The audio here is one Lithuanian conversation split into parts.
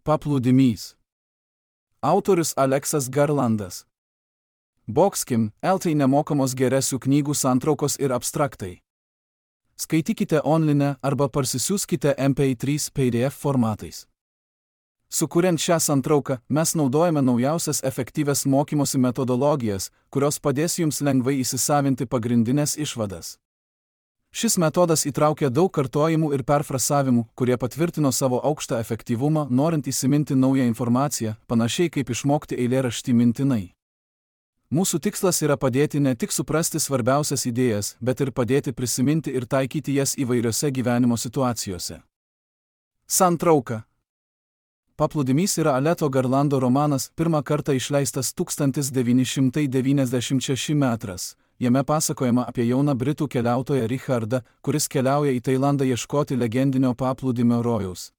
Paplūdimys. Autorius Aleksas Garlandas. Boxkim, LT nemokamos geresių knygų santraukos ir abstraktai. Skaitykite online arba parsisiųskite MP3 PDF formatais. Sukuriant šią santrauką, mes naudojame naujausias efektyvias mokymosi metodologijas, kurios padės jums lengvai įsisavinti pagrindinės išvadas. Šis metodas įtraukia daug kartojimų ir perfrasavimų, kurie patvirtino savo aukštą efektyvumą, norint įsiminti naują informaciją, panašiai kaip išmokti eilėraštį mintinai. Mūsų tikslas yra padėti ne tik suprasti svarbiausias idėjas, bet ir padėti prisiminti ir taikyti jas įvairiose gyvenimo situacijose. Santrauka. Paplūdimys yra Aleto Garlando romanas, pirmą kartą išleistas 1996 metras. Jame pasakojama apie jauną britų keliautoją Richardą, kuris keliauja į Tailandą ieškoti legendinio paplūdimio rojaus.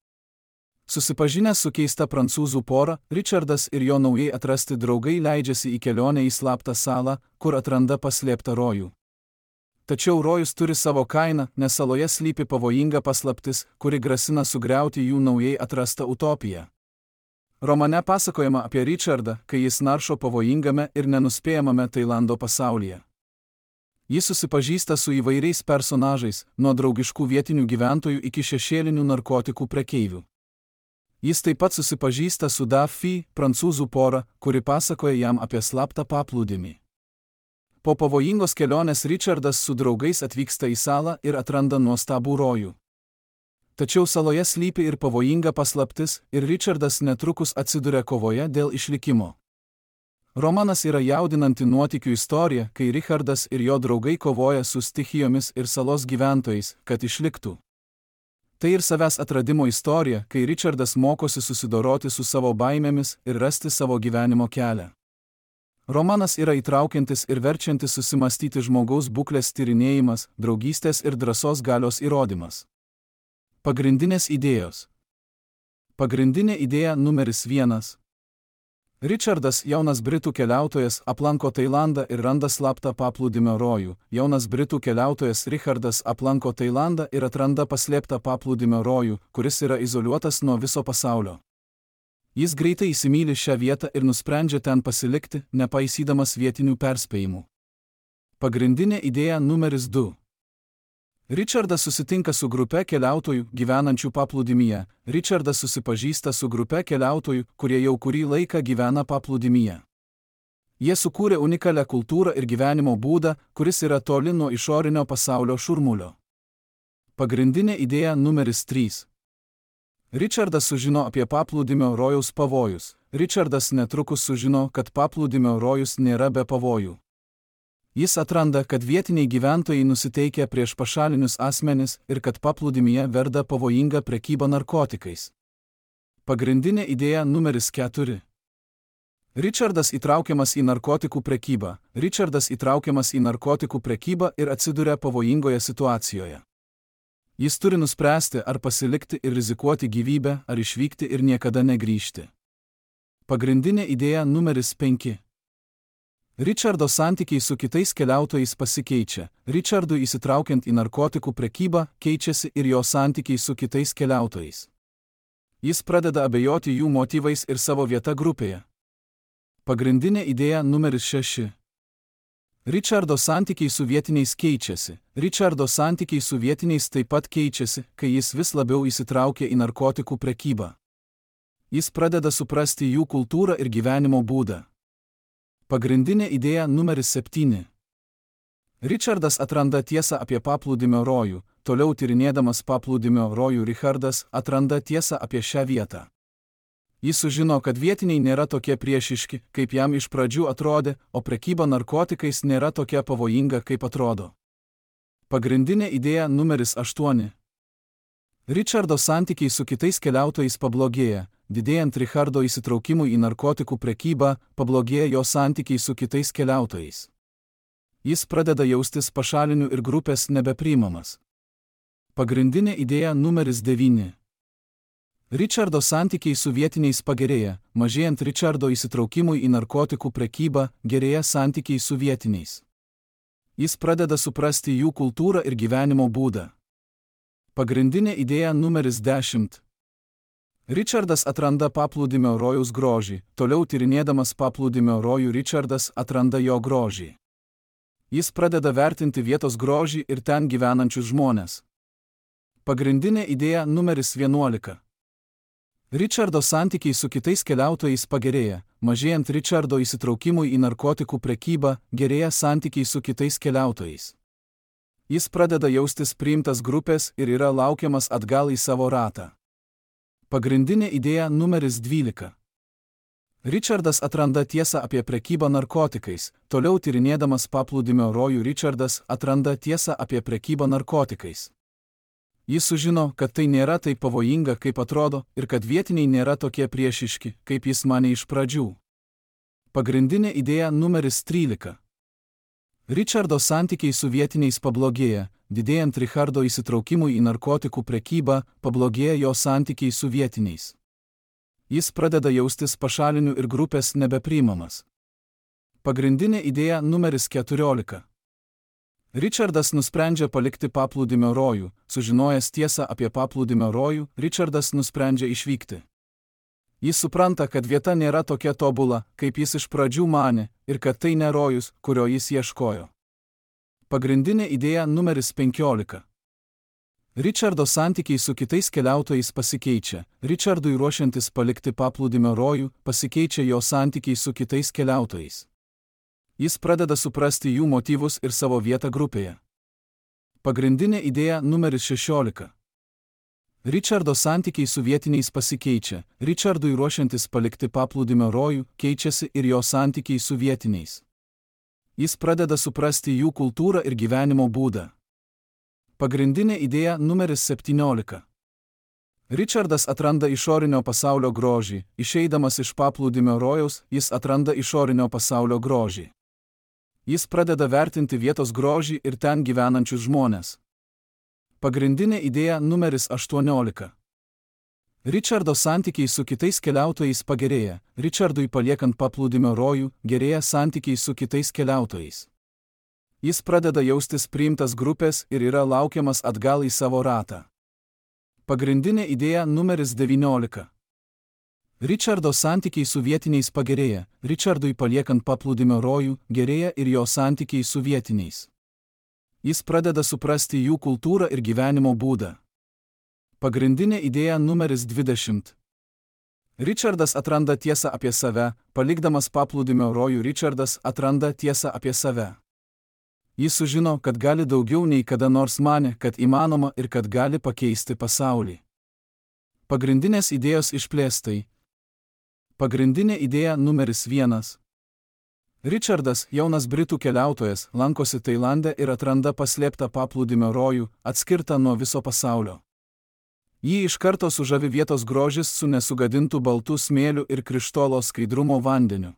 Susipažinęs su keista prancūzų pora, Richardas ir jo naujai atrasti draugai leidžiasi į kelionę į slaptą salą, kur atranda paslėptą rojų. Tačiau rojus turi savo kainą, nes saloje slypi pavojinga paslaptis, kuri grasina sugriauti jų naujai atrastą utopiją. Romane pasakojama apie Richardą, kai jis naršo pavojingame ir nenuspėjamame Tailando pasaulyje. Jis susipažįsta su įvairiais personažais, nuo draugiškų vietinių gyventojų iki šešėlinių narkotikų prekeivių. Jis taip pat susipažįsta su Daffy, prancūzų pora, kuri pasakoja jam apie slaptą paplūdimį. Po pavojingos kelionės Richardas su draugais atvyksta į salą ir atranda nuostabų rojų. Tačiau saloje slypi ir pavojinga paslaptis, ir Richardas netrukus atsiduria kovoje dėl išlikimo. Romanas yra jaudinanti nuotykių istorija, kai Richardas ir jo draugai kovoja su stichijomis ir salos gyventojais, kad išliktų. Tai ir savęs atradimo istorija, kai Richardas mokosi susidoroti su savo baimėmis ir rasti savo gyvenimo kelią. Romanas yra įtraukiantis ir verčiantis susimastyti žmogaus būklės tyrinėjimas, draugystės ir drąsos galios įrodymas. Pagrindinės idėjos. Pagrindinė idėja numeris 1. Richardas, jaunas britų keliautojas, aplanko Tailandą ir randa slaptą paplūdimio rojų. Jaunas britų keliautojas Richardas aplanko Tailandą ir atranda paslėptą paplūdimio rojų, kuris yra izoliuotas nuo viso pasaulio. Jis greitai įsimyli šią vietą ir nusprendžia ten pasilikti, nepaisydamas vietinių perspėjimų. Pagrindinė idėja numeris 2. Richardas susitinka su grupe keliautojų, gyvenančių paplūdimyje. Richardas susipažįsta su grupe keliautojų, kurie jau kurį laiką gyvena paplūdimyje. Jie sukūrė unikalią kultūrą ir gyvenimo būdą, kuris yra toli nuo išorinio pasaulio šurmulio. Pagrindinė idėja numeris 3. Richardas sužino apie paplūdimio rojaus pavojus. Richardas netrukus sužino, kad paplūdimio rojus nėra be pavojų. Jis atranda, kad vietiniai gyventojai nusiteikia prieš pašalinius asmenis ir kad paplūdimyje verda pavojinga prekyba narkotikais. Pagrindinė idėja numeris 4. Richardas įtraukiamas į narkotikų prekybą. Richardas įtraukiamas į narkotikų prekybą ir atsiduria pavojingoje situacijoje. Jis turi nuspręsti, ar pasilikti ir rizikuoti gyvybę, ar išvykti ir niekada negrįžti. Pagrindinė idėja numeris 5. Richardo santykiai su kitais keliautojais pasikeičia. Richardui įsitraukiant į narkotikų prekybą, keičiasi ir jo santykiai su kitais keliautojais. Jis pradeda abejoti jų motyvais ir savo vieta grupėje. Pagrindinė idėja numeris 6. Richardo santykiai su vietiniais keičiasi. Richardo santykiai su vietiniais taip pat keičiasi, kai jis vis labiau įsitraukia į narkotikų prekybą. Jis pradeda suprasti jų kultūrą ir gyvenimo būdą. Pagrindinė idėja numeris 7. Richardas atranda tiesą apie paplūdimio rojų. Toliau tyrinėdamas paplūdimio rojų Richardas atranda tiesą apie šią vietą. Jis sužino, kad vietiniai nėra tokie priešiški, kaip jam iš pradžių atrodė, o prekyba narkotikais nėra tokia pavojinga, kaip atrodo. Pagrindinė idėja numeris 8. Richardo santykiai su kitais keliautojais pablogėja. Didėjant Richardo įsitraukimui į narkotikų prekybą, pablogėja jo santykiai su kitais keliautojais. Jis pradeda jaustis pašaliniu ir grupės nebepriimamas. Pagrindinė idėja numeris 9. Richardo santykiai su vietiniais pagerėja. Mažėjant Richardo įsitraukimui į narkotikų prekybą, gerėja santykiai su vietiniais. Jis pradeda suprasti jų kultūrą ir gyvenimo būdą. Pagrindinė idėja numeris 10. Richardas atranda paplūdimio rojaus grožį, toliau tyrinėdamas paplūdimio rojų Richardas atranda jo grožį. Jis pradeda vertinti vietos grožį ir ten gyvenančius žmones. Pagrindinė idėja numeris 11. Richardo santykiai su kitais keliautojais pagerėja, mažėjant Richardo įsitraukimui į narkotikų prekybą, gerėja santykiai su kitais keliautojais. Jis pradeda jaustis priimtas grupės ir yra laukiamas atgal į savo ratą. Pagrindinė idėja numeris 12. Richardas atranda tiesą apie prekybą narkotikais, toliau tyrinėdamas paplūdimio rojų Richardas atranda tiesą apie prekybą narkotikais. Jis sužino, kad tai nėra taip pavojinga, kaip atrodo, ir kad vietiniai nėra tokie priešiški, kaip jis manė iš pradžių. Pagrindinė idėja numeris 13. Richardo santykiai su vietiniais pablogėja, didėjant Richardo įsitraukimui į narkotikų prekybą, pablogėja jo santykiai su vietiniais. Jis pradeda jaustis pašaliniu ir grupės nebepriimamas. Pagrindinė idėja numeris 14. Richardas nusprendžia palikti paplūdimio rojų, sužinojęs tiesą apie paplūdimio rojų, Richardas nusprendžia išvykti. Jis supranta, kad vieta nėra tokia tobula, kaip jis iš pradžių manė, ir kad tai ne rojus, kurio jis ieškojo. Pagrindinė idėja numeris 15. Richardo santykiai su kitais keliautojais pasikeičia, Richardui ruošiantis palikti paplūdimio rojų, pasikeičia jo santykiai su kitais keliautojais. Jis pradeda suprasti jų motyvus ir savo vietą grupėje. Pagrindinė idėja numeris 16. Richardo santykiai su vietiniais pasikeičia, Richardui ruošiantis palikti paplūdimio rojų, keičiasi ir jo santykiai su vietiniais. Jis pradeda suprasti jų kultūrą ir gyvenimo būdą. Pagrindinė idėja numeris 17. Richardas atranda išorinio pasaulio grožį, išeidamas iš paplūdimio rojaus, jis atranda išorinio pasaulio grožį. Jis pradeda vertinti vietos grožį ir ten gyvenančius žmones. Pagrindinė idėja numeris 18. Richardo santykiai su kitais keliautojais pagerėja, Richardui paliekant paplūdimio rojų, gerėja santykiai su kitais keliautojais. Jis pradeda jaustis priimtas grupės ir yra laukiamas atgal į savo ratą. Pagrindinė idėja numeris 19. Richardo santykiai su vietiniais pagerėja, Richardui paliekant paplūdimio rojų, gerėja ir jo santykiai su vietiniais. Jis pradeda suprasti jų kultūrą ir gyvenimo būdą. Pagrindinė idėja numeris 20. Richardas atranda tiesą apie save, palikdamas paplūdimio rojų Richardas atranda tiesą apie save. Jis sužino, kad gali daugiau nei kada nors manė, kad įmanoma ir kad gali pakeisti pasaulį. Pagrindinės idėjos išplėstai. Pagrindinė idėja numeris 1. Richardas, jaunas britų keliautojas, lankosi Tailande ir atranda paslėptą paplūdimio rojų, atskirtą nuo viso pasaulio. Jį iš karto sužavi vietos grožis su nesugadintu baltu smėliu ir krištolo skaidrumo vandeniu.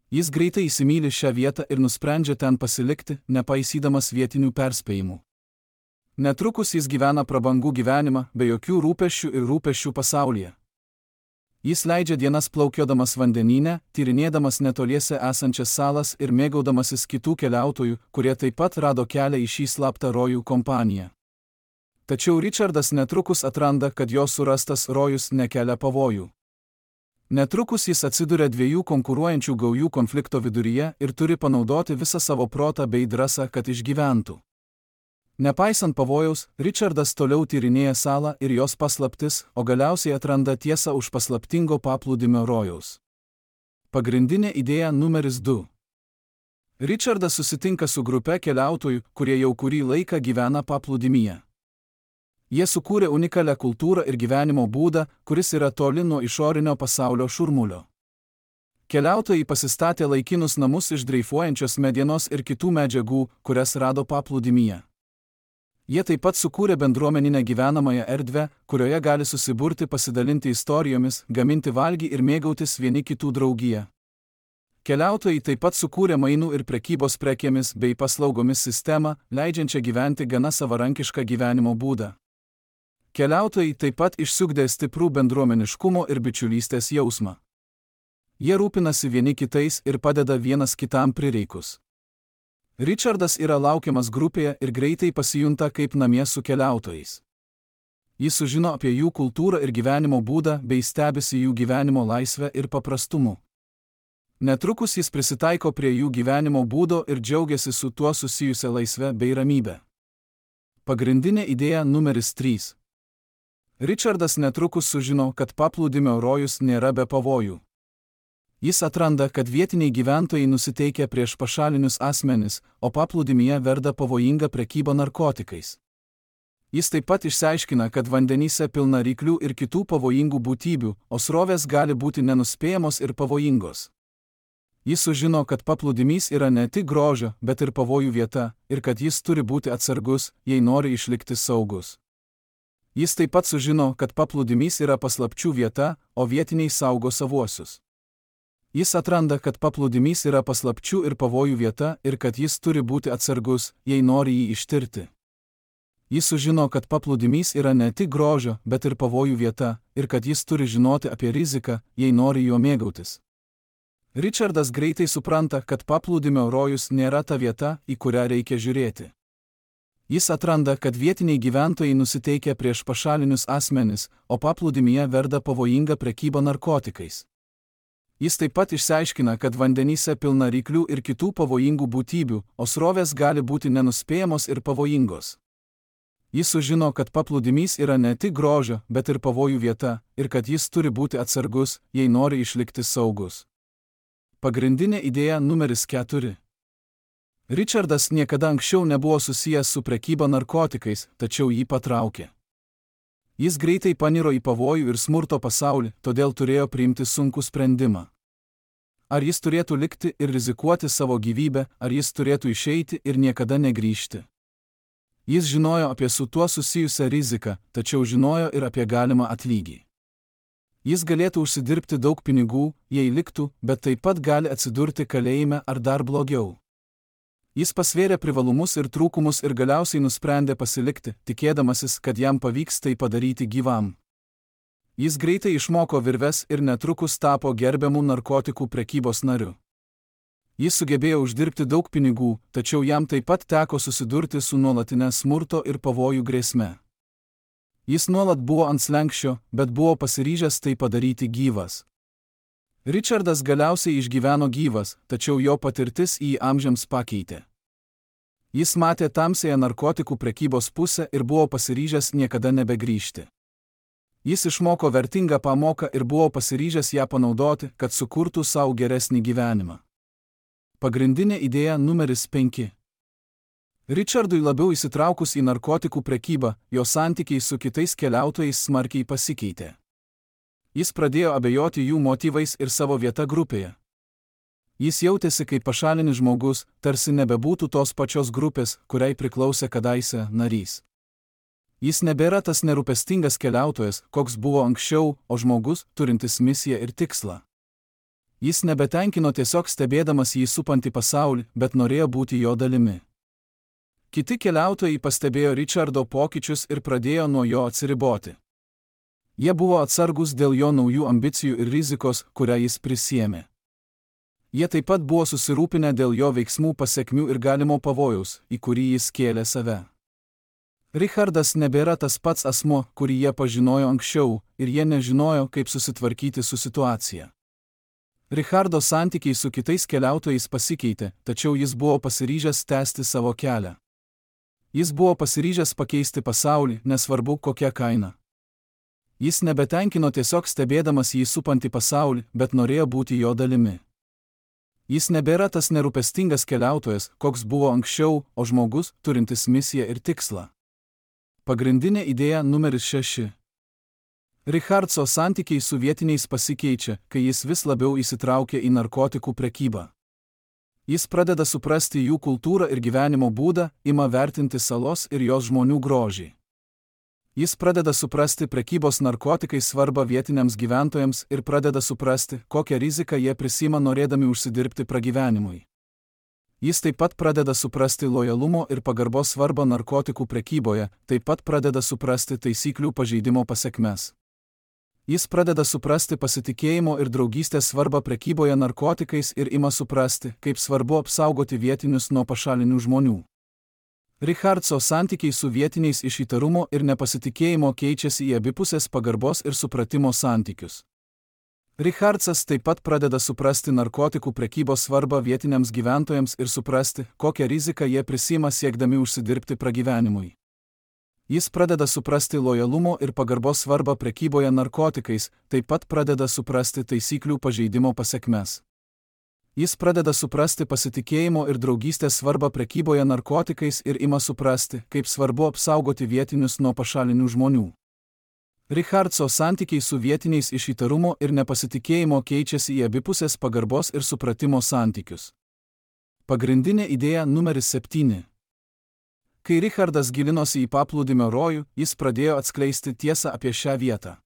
Jis greitai įsimyli šią vietą ir nusprendžia ten pasilikti, nepaisydamas vietinių perspėjimų. Netrukus jis gyvena prabangų gyvenimą, be jokių rūpesčių ir rūpesčių pasaulyje. Jis leidžia dienas plaukiodamas vandenyne, tyrinėdamas netoliese esančias salas ir mėgaudamasis kitų keliautojų, kurie taip pat rado kelią į šį slaptą rojų kompaniją. Tačiau Richardas netrukus atranda, kad jo surastas rojus nekelia pavojų. Netrukus jis atsiduria dviejų konkuruojančių gaujų konflikto viduryje ir turi panaudoti visą savo protą bei drąsą, kad išgyventų. Nepaisant pavojaus, Richardas toliau tyrinėja salą ir jos paslaptis, o galiausiai atranda tiesą už paslaptingo paplūdimio rojaus. Pagrindinė idėja numeris 2. Richardas susitinka su grupe keliautojų, kurie jau kurį laiką gyvena paplūdimyje. Jie sukūrė unikalią kultūrą ir gyvenimo būdą, kuris yra toli nuo išorinio pasaulio šurmulio. Keliautojai pasistatė laikinus namus iš dreifuojančios medienos ir kitų medžiagų, kurias rado paplūdimyje. Jie taip pat sukūrė bendruomeninę gyvenamąją erdvę, kurioje gali susiburti, pasidalinti istorijomis, gaminti valgį ir mėgautis vieni kitų draugiją. Keliautojai taip pat sukūrė mainų ir prekybos prekėmis bei paslaugomis sistemą, leidžiančią gyventi gana savarankišką gyvenimo būdą. Keliautojai taip pat išsiugdė stiprų bendruomeniškumo ir bičiulystės jausmą. Jie rūpinasi vieni kitais ir padeda vienas kitam prireikus. Richardas yra laukiamas grupėje ir greitai pasijunta kaip namie su keliautojais. Jis sužino apie jų kultūrą ir gyvenimo būdą bei stebisi jų gyvenimo laisvę ir paprastumu. Netrukus jis prisitaiko prie jų gyvenimo būdo ir džiaugiasi su tuo susijusia laisve bei ramybe. Pagrindinė idėja numeris 3. Richardas netrukus sužino, kad paplūdimio rojus nėra be pavojų. Jis atranda, kad vietiniai gyventojai nusiteikia prieš pašalinius asmenis, o paplūdimyje verda pavojinga prekyba narkotikais. Jis taip pat išsiaiškina, kad vandenyse pilna ryklių ir kitų pavojingų būtybių, o srovės gali būti nenuspėjamos ir pavojingos. Jis sužino, kad paplūdimys yra ne tik grožio, bet ir pavojų vieta, ir kad jis turi būti atsargus, jei nori išlikti saugus. Jis taip pat sužino, kad paplūdimys yra paslapčių vieta, o vietiniai saugo savuosius. Jis atranda, kad paplūdimys yra paslapčių ir pavojų vieta ir kad jis turi būti atsargus, jei nori jį ištirti. Jis sužino, kad paplūdimys yra ne tik grožio, bet ir pavojų vieta ir kad jis turi žinoti apie riziką, jei nori juo mėgautis. Richardas greitai supranta, kad paplūdimio rojus nėra ta vieta, į kurią reikia žiūrėti. Jis atranda, kad vietiniai gyventojai nusiteikia prieš pašalinius asmenis, o paplūdimyje verda pavojinga prekyba narkotikais. Jis taip pat išsiaiškina, kad vandenyse pilna ryklių ir kitų pavojingų būtybių, o srovės gali būti nenuspėjamos ir pavojingos. Jis sužino, kad paplūdimys yra ne tik grožio, bet ir pavojų vieta, ir kad jis turi būti atsargus, jei nori išlikti saugus. Pagrindinė idėja numeris 4. Richardas niekada anksčiau nebuvo susijęs su prekyba narkotikais, tačiau jį patraukė. Jis greitai paniro į pavojų ir smurto pasaulį, todėl turėjo priimti sunkų sprendimą. Ar jis turėtų likti ir rizikuoti savo gyvybę, ar jis turėtų išeiti ir niekada negrįžti. Jis žinojo apie su tuo susijusią riziką, tačiau žinojo ir apie galimą atlygį. Jis galėtų užsidirbti daug pinigų, jei liktų, bet taip pat gali atsidurti kalėjime ar dar blogiau. Jis pasvėrė privalumus ir trūkumus ir galiausiai nusprendė pasilikti, tikėdamasis, kad jam pavyks tai padaryti gyvam. Jis greitai išmoko virves ir netrukus tapo gerbiamų narkotikų prekybos nariu. Jis sugebėjo uždirbti daug pinigų, tačiau jam taip pat teko susidurti su nuolatinė smurto ir pavojų grėsme. Jis nuolat buvo ant slenksčio, bet buvo pasiryžęs tai padaryti gyvas. Richardas galiausiai išgyveno gyvas, tačiau jo patirtis jį amžiams pakeitė. Jis matė tamsiąją narkotikų prekybos pusę ir buvo pasiryžęs niekada nebegrįžti. Jis išmoko vertingą pamoką ir buvo pasiryžęs ją panaudoti, kad sukurtų savo geresnį gyvenimą. Pagrindinė idėja numeris 5. Richardui labiau įsitraukus į narkotikų prekybą, jo santykiai su kitais keliautojais smarkiai pasikeitė. Jis pradėjo abejoti jų motyvais ir savo vieta grupėje. Jis jautėsi kaip pašalinis žmogus, tarsi nebebūtų tos pačios grupės, kuriai priklausė kadaise narys. Jis nebėra tas nerūpestingas keliautojas, koks buvo anksčiau, o žmogus, turintis misiją ir tikslą. Jis nebetenkino tiesiog stebėdamas jį supantį pasaulį, bet norėjo būti jo dalimi. Kiti keliautojai pastebėjo Richardo pokyčius ir pradėjo nuo jo atsiriboti. Jie buvo atsargus dėl jo naujų ambicijų ir rizikos, kurią jis prisiėmė. Jie taip pat buvo susirūpinę dėl jo veiksmų pasekmių ir galimo pavojaus, į kurį jis kėlė save. Richardas nebėra tas pats asmuo, kurį jie pažinojo anksčiau, ir jie nežinojo, kaip susitvarkyti su situacija. Richardo santykiai su kitais keliautojais pasikeitė, tačiau jis buvo pasiryžęs tęsti savo kelią. Jis buvo pasiryžęs pakeisti pasaulį, nesvarbu kokia kaina. Jis nebetenkino tiesiog stebėdamas jį supantį pasaulį, bet norėjo būti jo dalimi. Jis nebėra tas nerūpestingas keliautojas, koks buvo anksčiau, o žmogus, turintis misiją ir tikslą. Pagrindinė idėja numeris 6. Richardso santykiai su vietiniais pasikeičia, kai jis vis labiau įsitraukia į narkotikų prekybą. Jis pradeda suprasti jų kultūrą ir gyvenimo būdą, ima vertinti salos ir jos žmonių grožį. Jis pradeda suprasti prekybos narkotikais svarbą vietiniams gyventojams ir pradeda suprasti, kokią riziką jie prisima norėdami užsidirbti pragyvenimui. Jis taip pat pradeda suprasti lojalumo ir pagarbos svarbą narkotikų prekyboje, taip pat pradeda suprasti taisyklių pažeidimo pasekmes. Jis pradeda suprasti pasitikėjimo ir draugystės svarbą prekyboje narkotikais ir ima suprasti, kaip svarbu apsaugoti vietinius nuo pašalinių žmonių. Richardso santykiai su vietiniais iš įtarumo ir nepasitikėjimo keičiasi į abipusės pagarbos ir supratimo santykius. Richardsas taip pat pradeda suprasti narkotikų prekybos svarbą vietiniams gyventojams ir suprasti, kokią riziką jie prisiima siekdami užsidirbti pragyvenimui. Jis pradeda suprasti lojalumo ir pagarbos svarbą prekyboje narkotikais, taip pat pradeda suprasti taisyklių pažeidimo pasekmes. Jis pradeda suprasti pasitikėjimo ir draugystės svarbą prekyboje narkotikais ir ima suprasti, kaip svarbu apsaugoti vietinius nuo pašalinių žmonių. Richardso santykiai su vietiniais iš įtarumo ir nepasitikėjimo keičiasi į abipusės pagarbos ir supratimo santykius. Pagrindinė idėja numeris 7. Kai Richardas gilinosi į paplūdimio rojų, jis pradėjo atskleisti tiesą apie šią vietą.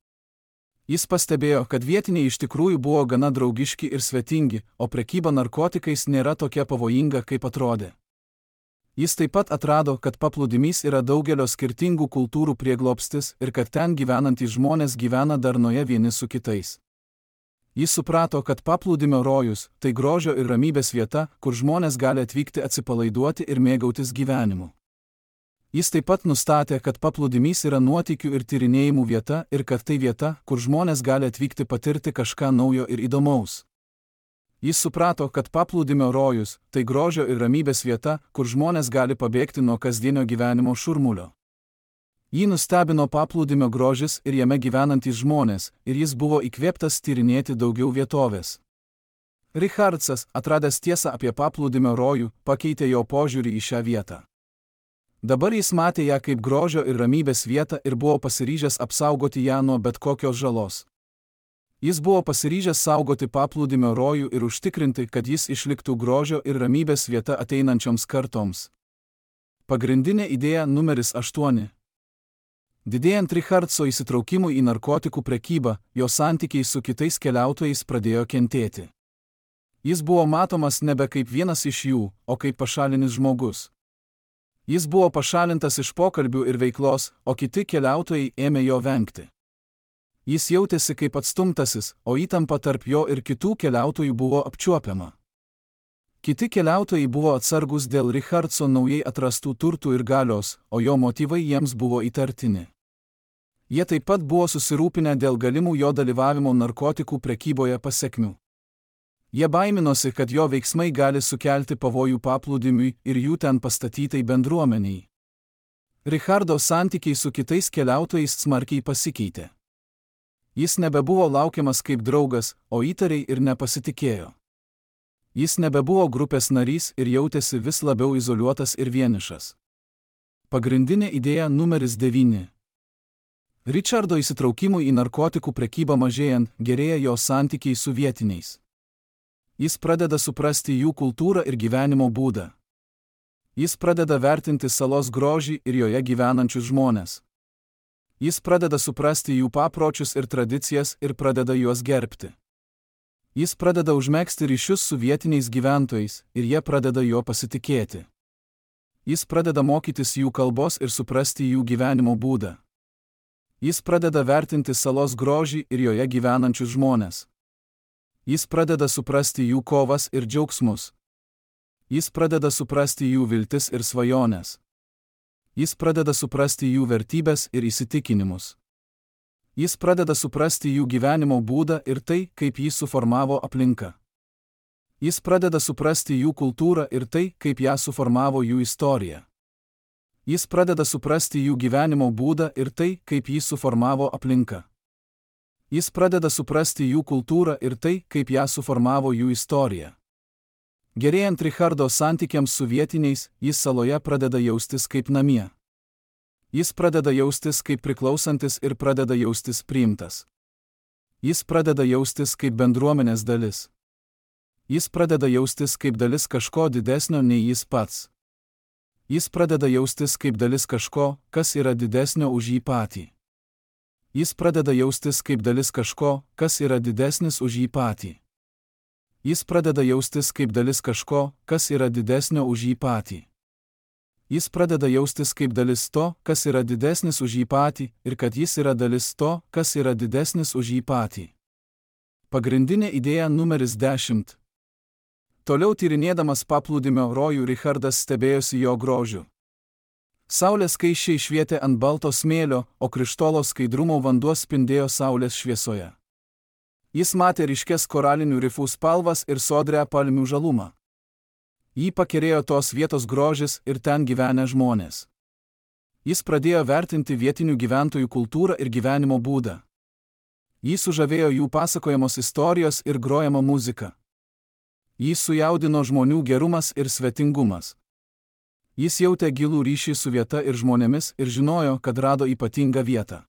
Jis pastebėjo, kad vietiniai iš tikrųjų buvo gana draugiški ir svetingi, o prekyba narkotikais nėra tokia pavojinga, kaip atrodė. Jis taip pat atrado, kad paplūdimys yra daugelio skirtingų kultūrų prieglobstis ir kad ten gyvenantys žmonės gyvena darnoje vieni su kitais. Jis suprato, kad paplūdimio rojus – tai grožio ir ramybės vieta, kur žmonės gali atvykti atsipalaiduoti ir mėgautis gyvenimu. Jis taip pat nustatė, kad paplūdimys yra nuotykių ir tyrinėjimų vieta ir kad tai vieta, kur žmonės gali atvykti patirti kažką naujo ir įdomaus. Jis suprato, kad paplūdimio rojus – tai grožio ir ramybės vieta, kur žmonės gali pabėgti nuo kasdienio gyvenimo šurmulio. Jį nustebino paplūdimio grožis ir jame gyvenantys žmonės, ir jis buvo įkvėptas tyrinėti daugiau vietovės. Richardsas, atradęs tiesą apie paplūdimio rojų, pakeitė jo požiūrį į šią vietą. Dabar jis matė ją kaip grožio ir ramybės vietą ir buvo pasiryžęs apsaugoti ją nuo bet kokios žalos. Jis buvo pasiryžęs saugoti paplūdimio rojų ir užtikrinti, kad jis išliktų grožio ir ramybės vieta ateinančioms kartoms. Pagrindinė idėja numeris 8. Didėjant Richardso įsitraukimui į narkotikų prekybą, jo santykiai su kitais keliautojais pradėjo kentėti. Jis buvo matomas nebe kaip vienas iš jų, o kaip pašalinis žmogus. Jis buvo pašalintas iš pokalbių ir veiklos, o kiti keliautojai ėmė jo vengti. Jis jautėsi kaip atstumtasis, o įtampa tarp jo ir kitų keliautojų buvo apčiuopiama. Kiti keliautojai buvo atsargus dėl Richardso naujai atrastų turtų ir galios, o jo motyvai jiems buvo įtartini. Jie taip pat buvo susirūpinę dėl galimų jo dalyvavimo narkotikų prekyboje pasekmių. Jie baiminosi, kad jo veiksmai gali sukelti pavojų paplūdimiui ir jų ten pastatytai bendruomeniai. Richardo santykiai su kitais keliautojais smarkiai pasikeitė. Jis nebebuvo laukiamas kaip draugas, o įtariai ir nepasitikėjo. Jis nebebuvo grupės narys ir jautėsi vis labiau izoliuotas ir vienišas. Pagrindinė idėja numeris 9. Richardo įsitraukimui į narkotikų prekybą mažėjant, gerėja jo santykiai su vietiniais. Jis pradeda suprasti jų kultūrą ir gyvenimo būdą. Jis pradeda vertinti salos grožį ir joje gyvenančius žmones. Jis pradeda suprasti jų papročius ir tradicijas ir pradeda juos gerbti. Jis pradeda užmegzti ryšius su vietiniais gyventojais ir jie pradeda juo pasitikėti. Jis pradeda mokytis jų kalbos ir suprasti jų gyvenimo būdą. Jis pradeda vertinti salos grožį ir joje gyvenančius žmones. Jis pradeda suprasti jų kovas ir džiaugsmus. Jis pradeda suprasti jų viltis ir svajones. Jis pradeda suprasti jų vertybės ir įsitikinimus. Jis pradeda suprasti jų gyvenimo būdą ir tai, kaip jį suformavo aplinka. Jis pradeda suprasti jų kultūrą ir tai, kaip ją suformavo jų istorija. Jis pradeda suprasti jų gyvenimo būdą ir tai, kaip jį suformavo aplinka. Jis pradeda suprasti jų kultūrą ir tai, kaip ją suformavo jų istorija. Gerėjant Richardo santykiams su vietiniais, jis saloje pradeda jaustis kaip namie. Jis pradeda jaustis kaip priklausantis ir pradeda jaustis priimtas. Jis pradeda jaustis kaip bendruomenės dalis. Jis pradeda jaustis kaip dalis kažko didesnio nei jis pats. Jis pradeda jaustis kaip dalis kažko, kas yra didesnio už jį patį. Jis pradeda jaustis kaip dalis kažko, kas yra didesnis už jį patį. Jis pradeda jaustis kaip dalis kažko, kas yra didesnio už jį patį. Jis pradeda jaustis kaip dalis to, kas yra didesnis už jį patį, ir kad jis yra dalis to, kas yra didesnis už jį patį. Pagrindinė idėja numeris 10. Toliau tyrinėdamas paplūdimio rojų Richardas stebėjosi jo grožiu. Saulės skaisčiai švietė ant balto smėlio, o krištolo skaidrumo vanduo spindėjo saulės šviesoje. Jis matė ryškes koralinių rifų spalvas ir sodrią palmių žalumą. Jį pakerėjo tos vietos grožis ir ten gyvenę žmonės. Jis pradėjo vertinti vietinių gyventojų kultūrą ir gyvenimo būdą. Jį sužavėjo jų pasakojamos istorijos ir grojama muzika. Jį sujaudino žmonių gerumas ir svetingumas. Jis jautė gilų ryšį su vieta ir žmonėmis ir žinojo, kad rado ypatingą vietą.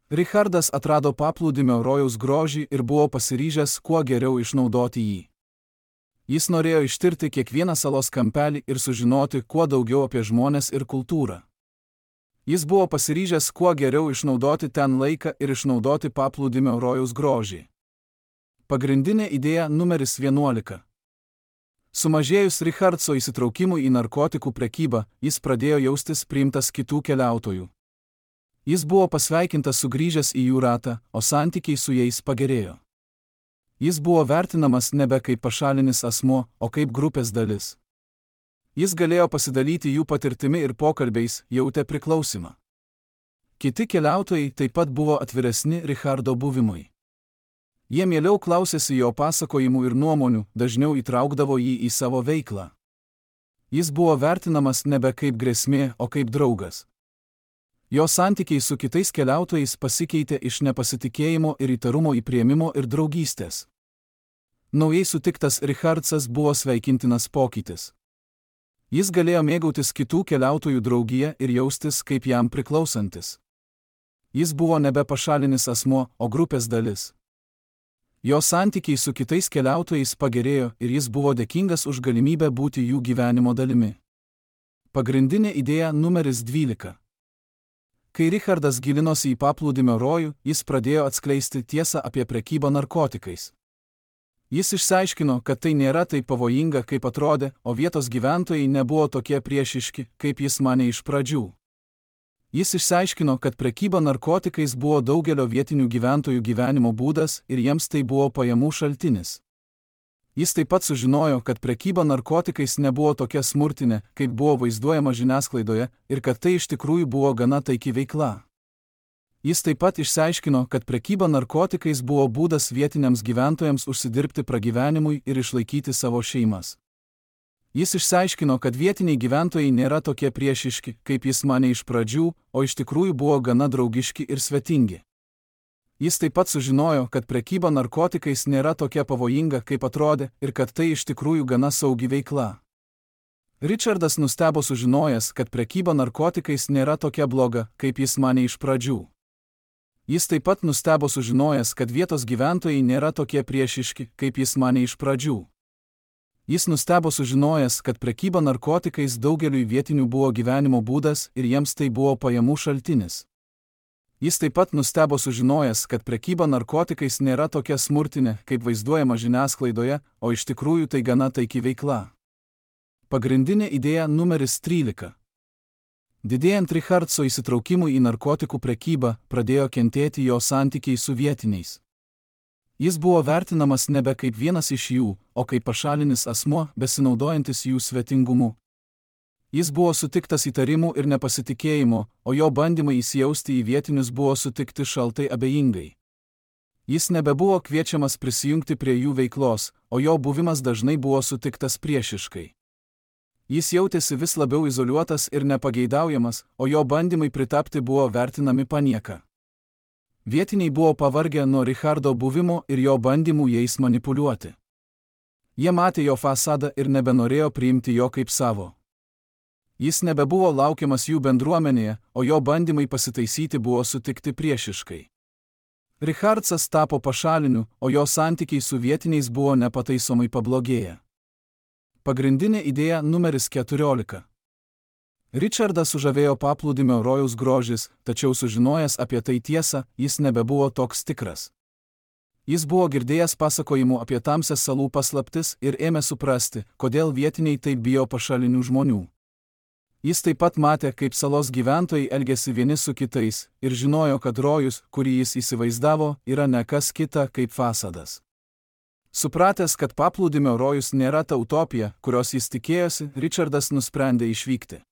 Richardas atrado paplūdimio rojaus grožį ir buvo pasiryžęs kuo geriau išnaudoti jį. Jis norėjo ištirti kiekvieną salos kampelį ir sužinoti kuo daugiau apie žmones ir kultūrą. Jis buvo pasiryžęs kuo geriau išnaudoti ten laiką ir išnaudoti paplūdimio rojaus grožį. Pagrindinė idėja numeris 11. Sumažėjus Richardso įsitraukimui į narkotikų prekybą, jis pradėjo jaustis priimtas kitų keliautojų. Jis buvo pasveikintas sugrįžęs į jų ratą, o santykiai su jais pagerėjo. Jis buvo vertinamas nebe kaip pašalinis asmuo, o kaip grupės dalis. Jis galėjo pasidalyti jų patirtimi ir pokalbiais, jautė priklausimą. Kiti keliautojai taip pat buvo atviresni Richardo buvimui. Jie mieliau klausėsi jo pasakojimų ir nuomonių, dažniau įtraukdavo jį į savo veiklą. Jis buvo vertinamas nebe kaip grėsmė, o kaip draugas. Jo santykiai su kitais keliautojais pasikeitė iš nepasitikėjimo ir įtarumo į priėmimo ir draugystės. Naujai sutiktas Richardsas buvo sveikintinas pokytis. Jis galėjo mėgautis kitų keliautojų draugiją ir jaustis kaip jam priklausantis. Jis buvo nebe pašalinis asmuo, o grupės dalis. Jo santykiai su kitais keliautojais pagerėjo ir jis buvo dėkingas už galimybę būti jų gyvenimo dalimi. Pagrindinė idėja numeris 12. Kai Richardas gilinosi į paplūdimio rojų, jis pradėjo atskleisti tiesą apie prekybą narkotikais. Jis išsiaiškino, kad tai nėra taip pavojinga, kaip atrodė, o vietos gyventojai nebuvo tokie priešiški, kaip jis manė iš pradžių. Jis išsiaiškino, kad prekyba narkotikais buvo daugelio vietinių gyventojų gyvenimo būdas ir jiems tai buvo pajamų šaltinis. Jis taip pat sužinojo, kad prekyba narkotikais nebuvo tokia smurtinė, kaip buvo vaizduojama žiniasklaidoje, ir kad tai iš tikrųjų buvo gana taiki veikla. Jis taip pat išsiaiškino, kad prekyba narkotikais buvo būdas vietiniams gyventojams užsidirbti pragyvenimui ir išlaikyti savo šeimas. Jis išsiaiškino, kad vietiniai gyventojai nėra tokie priešiški, kaip jis manė iš pradžių, o iš tikrųjų buvo gana draugiški ir svetingi. Jis taip pat sužinojo, kad prekyba narkotikais nėra tokia pavojinga, kaip atrodė, ir kad tai iš tikrųjų gana saugi veikla. Richardas nustebo sužinojęs, kad prekyba narkotikais nėra tokia bloga, kaip jis manė iš pradžių. Jis taip pat nustebo sužinojęs, kad vietos gyventojai nėra tokie priešiški, kaip jis manė iš pradžių. Jis nustebo sužinojęs, kad prekyba narkotikais daugeliui vietinių buvo gyvenimo būdas ir jiems tai buvo pajamų šaltinis. Jis taip pat nustebo sužinojęs, kad prekyba narkotikais nėra tokia smurtinė, kaip vaizduojama žiniasklaidoje, o iš tikrųjų tai gana taiki veikla. Pagrindinė idėja numeris 13. Didėjant Richardso įsitraukimui į narkotikų prekybą, pradėjo kentėti jo santykiai su vietiniais. Jis buvo vertinamas nebe kaip vienas iš jų, o kaip pašalinis asmuo, besinaudojantis jų svetingumu. Jis buvo sutiktas įtarimų ir nepasitikėjimo, o jo bandymai įsijausti į vietinius buvo sutikti šaltai abejingai. Jis nebebuvo kviečiamas prisijungti prie jų veiklos, o jo buvimas dažnai buvo sutiktas priešiškai. Jis jautėsi vis labiau izoliuotas ir nepageidaujamas, o jo bandymai pritapti buvo vertinami panieka. Vietiniai buvo pavargę nuo Richardo buvimo ir jo bandymų jais manipuliuoti. Jie matė jo fasadą ir nebenorėjo priimti jo kaip savo. Jis nebebuvo laukiamas jų bendruomenėje, o jo bandymai pasitaisyti buvo sutikti priešiškai. Richardsas tapo pašaliniu, o jo santykiai su vietiniais buvo nepataisomai pablogėję. Pagrindinė idėja numeris 14. Richardą sužavėjo paplūdimio rojaus grožis, tačiau sužinojęs apie tai tiesą, jis nebebuvo toks tikras. Jis buvo girdėjęs pasakojimų apie tamsias salų paslaptis ir ėmė suprasti, kodėl vietiniai taip bijo pašalinių žmonių. Jis taip pat matė, kaip salos gyventojai elgėsi vieni su kitais, ir žinojo, kad rojus, kurį jis įsivaizdavo, yra ne kas kita kaip fasadas. Supratęs, kad paplūdimio rojus nėra ta utopija, kurios jis tikėjosi, Richardas nusprendė išvykti.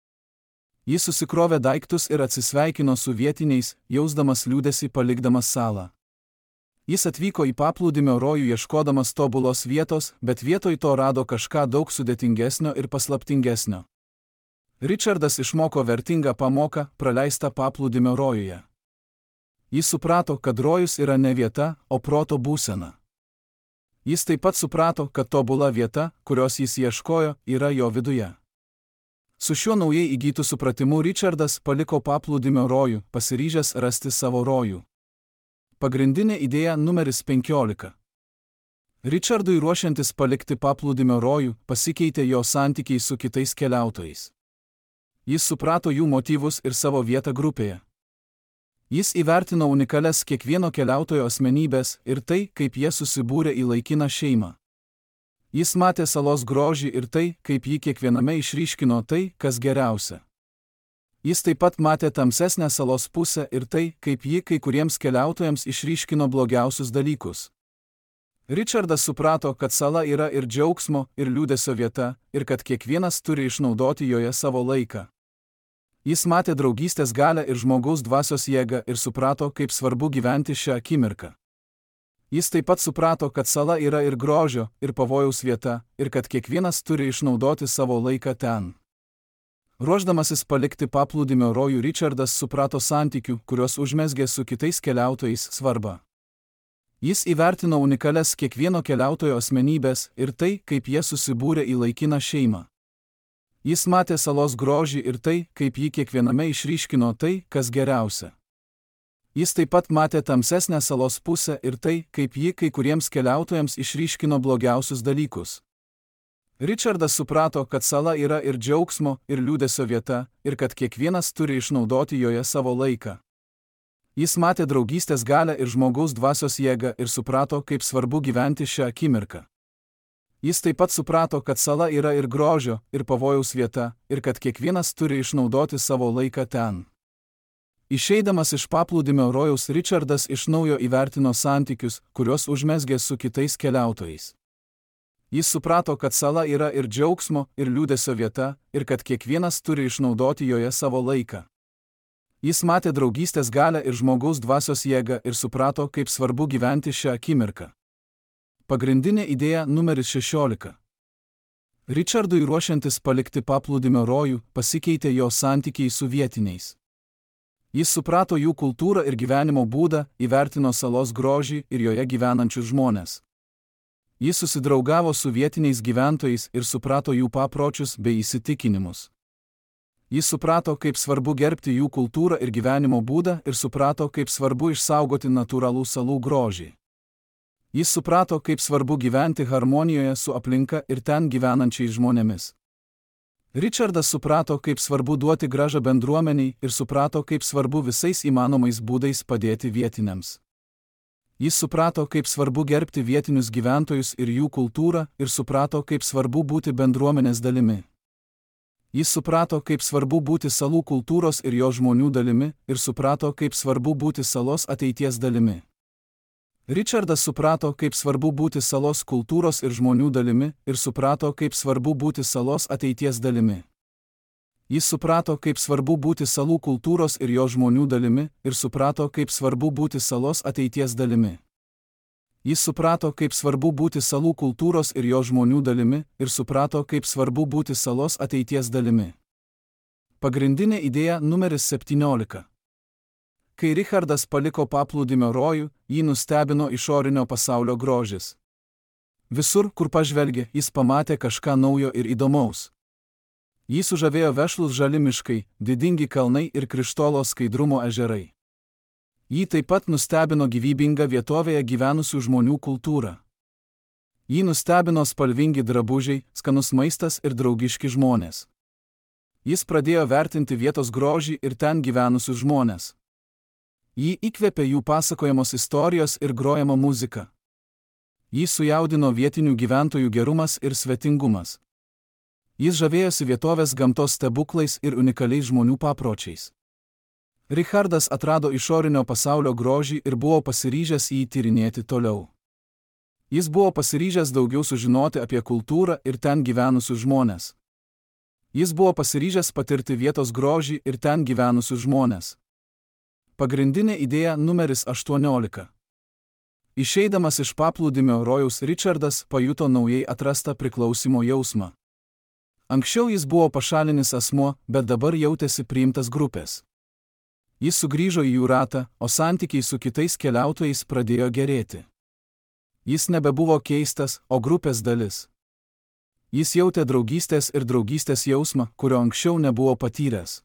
Jis susikrovė daiktus ir atsisveikino su vietiniais, jausdamas liūdesį palikdamas salą. Jis atvyko į paplūdimio rojų ieškodamas tobulos vietos, bet vietoj to rado kažką daug sudėtingesnio ir paslaptingesnio. Richardas išmoko vertingą pamoką, praleistą paplūdimio rojuje. Jis suprato, kad rojus yra ne vieta, o proto būsena. Jis taip pat suprato, kad tobula vieta, kurios jis ieškojo, yra jo viduje. Su šiuo naujai įgytu supratimu Richardas paliko paplūdimio rojų, pasiryžęs rasti savo rojų. Pagrindinė idėja numeris 15. Richardui ruošiantis palikti paplūdimio rojų, pasikeitė jo santykiai su kitais keliautojais. Jis suprato jų motyvus ir savo vietą grupėje. Jis įvertino unikalias kiekvieno keliautojo asmenybės ir tai, kaip jie susibūrė į laikiną šeimą. Jis matė salos grožį ir tai, kaip jį kiekviename išryškino tai, kas geriausia. Jis taip pat matė tamsesnę salos pusę ir tai, kaip ji kai kuriems keliautojams išryškino blogiausius dalykus. Richardas suprato, kad sala yra ir džiaugsmo, ir liūdesio vieta, ir kad kiekvienas turi išnaudoti joje savo laiką. Jis matė draugystės galią ir žmogaus dvasios jėgą ir suprato, kaip svarbu gyventi šią akimirką. Jis taip pat suprato, kad sala yra ir grožio, ir pavojaus vieta, ir kad kiekvienas turi išnaudoti savo laiką ten. Ruošdamasis palikti paplūdimio rojų, Richardas suprato santykių, kuriuos užmezgė su kitais keliautojais, svarbą. Jis įvertino unikalias kiekvieno keliautojo asmenybės ir tai, kaip jie susibūrė į laikiną šeimą. Jis matė salos grožį ir tai, kaip jį kiekviename išryškino tai, kas geriausia. Jis taip pat matė tamsesnę salos pusę ir tai, kaip ji kai kuriems keliautojams išryškino blogiausius dalykus. Richardas suprato, kad sala yra ir džiaugsmo, ir liūdesio vieta, ir kad kiekvienas turi išnaudoti joje savo laiką. Jis matė draugystės galią ir žmogaus dvasios jėgą ir suprato, kaip svarbu gyventi šią akimirką. Jis taip pat suprato, kad sala yra ir grožio, ir pavojaus vieta, ir kad kiekvienas turi išnaudoti savo laiką ten. Išeidamas iš paplūdimio rojaus, Richardas iš naujo įvertino santykius, kuriuos užmezgė su kitais keliautojais. Jis suprato, kad sala yra ir džiaugsmo, ir liūdesio vieta, ir kad kiekvienas turi išnaudoti joje savo laiką. Jis matė draugystės galią ir žmogaus dvasios jėgą ir suprato, kaip svarbu gyventi šią akimirką. Pagrindinė idėja numeris 16. Richardui ruošiantis palikti paplūdimio rojų, pasikeitė jo santykiai su vietiniais. Jis suprato jų kultūrą ir gyvenimo būdą, įvertino salos grožį ir joje gyvenančius žmones. Jis susidraugavo su vietiniais gyventojais ir suprato jų papročius bei įsitikinimus. Jis suprato, kaip svarbu gerbti jų kultūrą ir gyvenimo būdą ir suprato, kaip svarbu išsaugoti natūralų salų grožį. Jis suprato, kaip svarbu gyventi harmonijoje su aplinka ir ten gyvenančiais žmonėmis. Richardas suprato, kaip svarbu duoti grąžą bendruomeniai ir suprato, kaip svarbu visais įmanomais būdais padėti vietiniams. Jis suprato, kaip svarbu gerbti vietinius gyventojus ir jų kultūrą ir suprato, kaip svarbu būti bendruomenės dalimi. Jis suprato, kaip svarbu būti salų kultūros ir jo žmonių dalimi ir suprato, kaip svarbu būti salos ateities dalimi. Richardas suprato, kaip svarbu būti salos kultūros ir žmonių dalimi ir suprato, kaip svarbu būti salos ateities dalimi. Jis suprato, kaip svarbu būti salų kultūros ir jo žmonių dalimi ir suprato, kaip svarbu būti salos ateities dalimi. Jis suprato, kaip svarbu būti salų kultūros ir jo žmonių dalimi ir suprato, kaip svarbu būti salos ateities dalimi. Pagrindinė idėja numeris 17. Kai Richardas paliko paplūdimio rojų, jį nustebino išorinio pasaulio grožis. Visur, kur pažvelgė, jis pamatė kažką naujo ir įdomaus. Jį sužavėjo vešlūs žali miškai, didingi kalnai ir krištolo skaidrumo ežerai. Jį taip pat nustebino gyvybinga vietovėje gyvenusių žmonių kultūra. Jį nustebino spalvingi drabužiai, skanus maistas ir draugiški žmonės. Jis pradėjo vertinti vietos grožį ir ten gyvenusius žmonės. Jį įkvėpė jų pasakojamos istorijos ir grojama muzika. Jį sujaudino vietinių gyventojų gerumas ir svetingumas. Jis žavėjosi vietovės gamtos stebuklais ir unikaliais žmonių papročiais. Richardas atrado išorinio pasaulio grožį ir buvo pasiryžęs jį tyrinėti toliau. Jis buvo pasiryžęs daugiau sužinoti apie kultūrą ir ten gyvenusius žmones. Jis buvo pasiryžęs patirti vietos grožį ir ten gyvenusius žmones. Pagrindinė idėja numeris 18. Išeidamas iš paplūdimio rojaus Richardas pajuto naujai atrastą priklausimo jausmą. Anksčiau jis buvo pašalinis asmuo, bet dabar jautėsi priimtas grupės. Jis sugrįžo į jų ratą, o santykiai su kitais keliautojais pradėjo gerėti. Jis nebebuvo keistas, o grupės dalis. Jis jautė draugystės ir draugystės jausmą, kurio anksčiau nebuvo patyręs.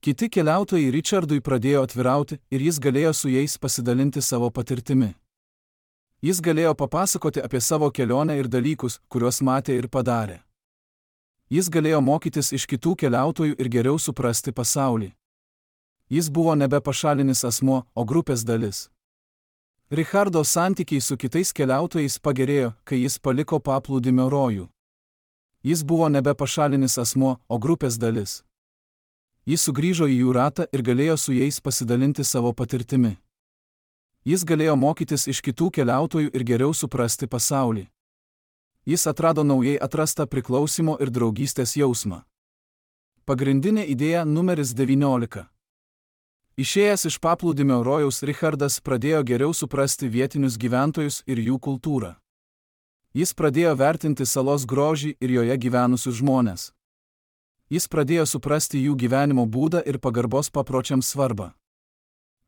Kiti keliautojai Richardui pradėjo atvirauti ir jis galėjo su jais pasidalinti savo patirtimi. Jis galėjo papasakoti apie savo kelionę ir dalykus, kuriuos matė ir padarė. Jis galėjo mokytis iš kitų keliautojų ir geriau suprasti pasaulį. Jis buvo nebe pašalinis asmuo, o grupės dalis. Richardo santykiai su kitais keliautojais pagerėjo, kai jis paliko paplūdimio rojų. Jis buvo nebe pašalinis asmuo, o grupės dalis. Jis sugrįžo į jų ratą ir galėjo su jais pasidalinti savo patirtimi. Jis galėjo mokytis iš kitų keliautojų ir geriau suprasti pasaulį. Jis atrado naujai atrastą priklausimo ir draugystės jausmą. Pagrindinė idėja numeris 19. Išėjęs iš paplūdimio rojaus Richardas pradėjo geriau suprasti vietinius gyventojus ir jų kultūrą. Jis pradėjo vertinti salos grožį ir joje gyvenusius žmones. Jis pradėjo suprasti jų gyvenimo būdą ir pagarbos papročiams svarbą.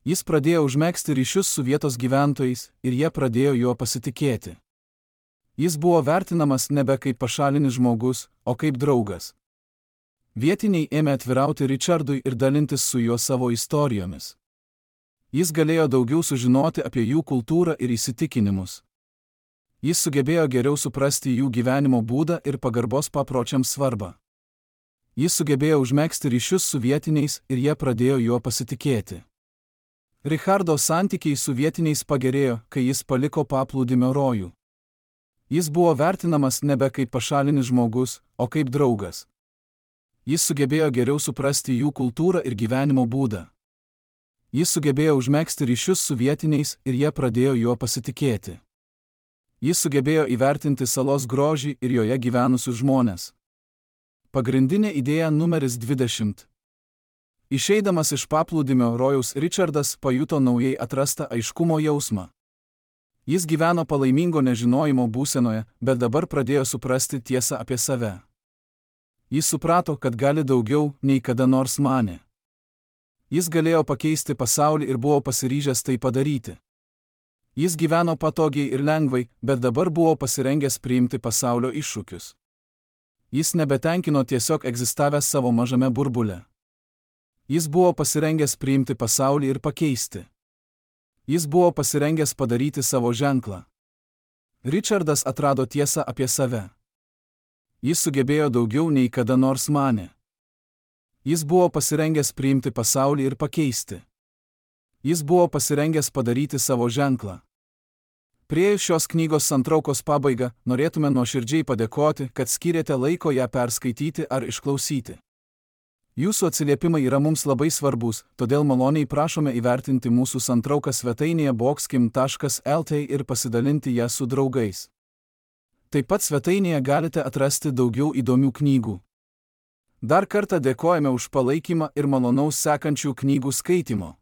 Jis pradėjo užmegzti ryšius su vietos gyventojais ir jie pradėjo juo pasitikėti. Jis buvo vertinamas nebe kaip pašalinis žmogus, o kaip draugas. Vietiniai ėmė atvirauti Richardui ir dalintis su juo savo istorijomis. Jis galėjo daugiau sužinoti apie jų kultūrą ir įsitikinimus. Jis sugebėjo geriau suprasti jų gyvenimo būdą ir pagarbos papročiams svarbą. Jis sugebėjo užmegzti ryšius su vietiniais ir jie pradėjo juo pasitikėti. Richardo santykiai su vietiniais pagerėjo, kai jis paliko paplūdimio rojų. Jis buvo vertinamas nebe kaip pašalinis žmogus, o kaip draugas. Jis sugebėjo geriau suprasti jų kultūrą ir gyvenimo būdą. Jis sugebėjo užmegzti ryšius su vietiniais ir jie pradėjo juo pasitikėti. Jis sugebėjo įvertinti salos grožį ir joje gyvenusius žmones. Pagrindinė idėja numeris 20. Išeidamas iš paplūdimio rojaus Richardas pajuto naujai atrastą aiškumo jausmą. Jis gyveno palaimingo nežinojimo būsenoje, bet dabar pradėjo suprasti tiesą apie save. Jis suprato, kad gali daugiau, nei kada nors manė. Jis galėjo pakeisti pasaulį ir buvo pasiryžęs tai padaryti. Jis gyveno patogiai ir lengvai, bet dabar buvo pasirengęs priimti pasaulio iššūkius. Jis nebetenkino tiesiog egzistavęs savo mažame burbule. Jis buvo pasirengęs priimti pasaulį ir pakeisti. Jis buvo pasirengęs padaryti savo ženklą. Richardas atrado tiesą apie save. Jis sugebėjo daugiau nei kada nors manė. Jis buvo pasirengęs priimti pasaulį ir pakeisti. Jis buvo pasirengęs padaryti savo ženklą. Priėjus šios knygos santraukos pabaigą, norėtume nuoširdžiai padėkoti, kad skyrėte laiko ją perskaityti ar išklausyti. Jūsų atsiliepimai yra mums labai svarbus, todėl maloniai prašome įvertinti mūsų santrauką svetainėje boxkim.lt ir pasidalinti ją su draugais. Taip pat svetainėje galite atrasti daugiau įdomių knygų. Dar kartą dėkojame už palaikymą ir malonaus sekančių knygų skaitimo.